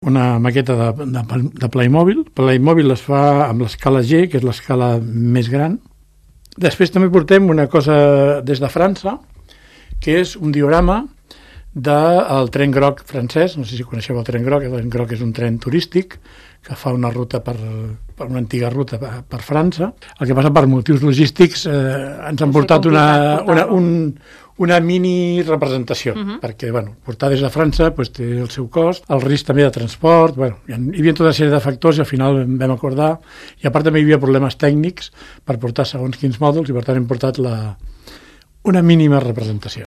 una maqueta de Playmobil. Playmobil es fa amb l'escala G, que és l'escala més gran. Després també portem una cosa des de França, que és un diorama del tren groc francès. No sé si coneixeu el tren groc. El tren groc és un tren turístic que fa una ruta per una antiga ruta per França. El que passa per motius logístics ens han portat una mini representació, perquè portar des de França té el seu cost, el risc també de transport, hi havia tota una sèrie de factors i al final vam acordar, i a part també hi havia problemes tècnics per portar segons quins mòduls i per tant hem portat una mínima representació.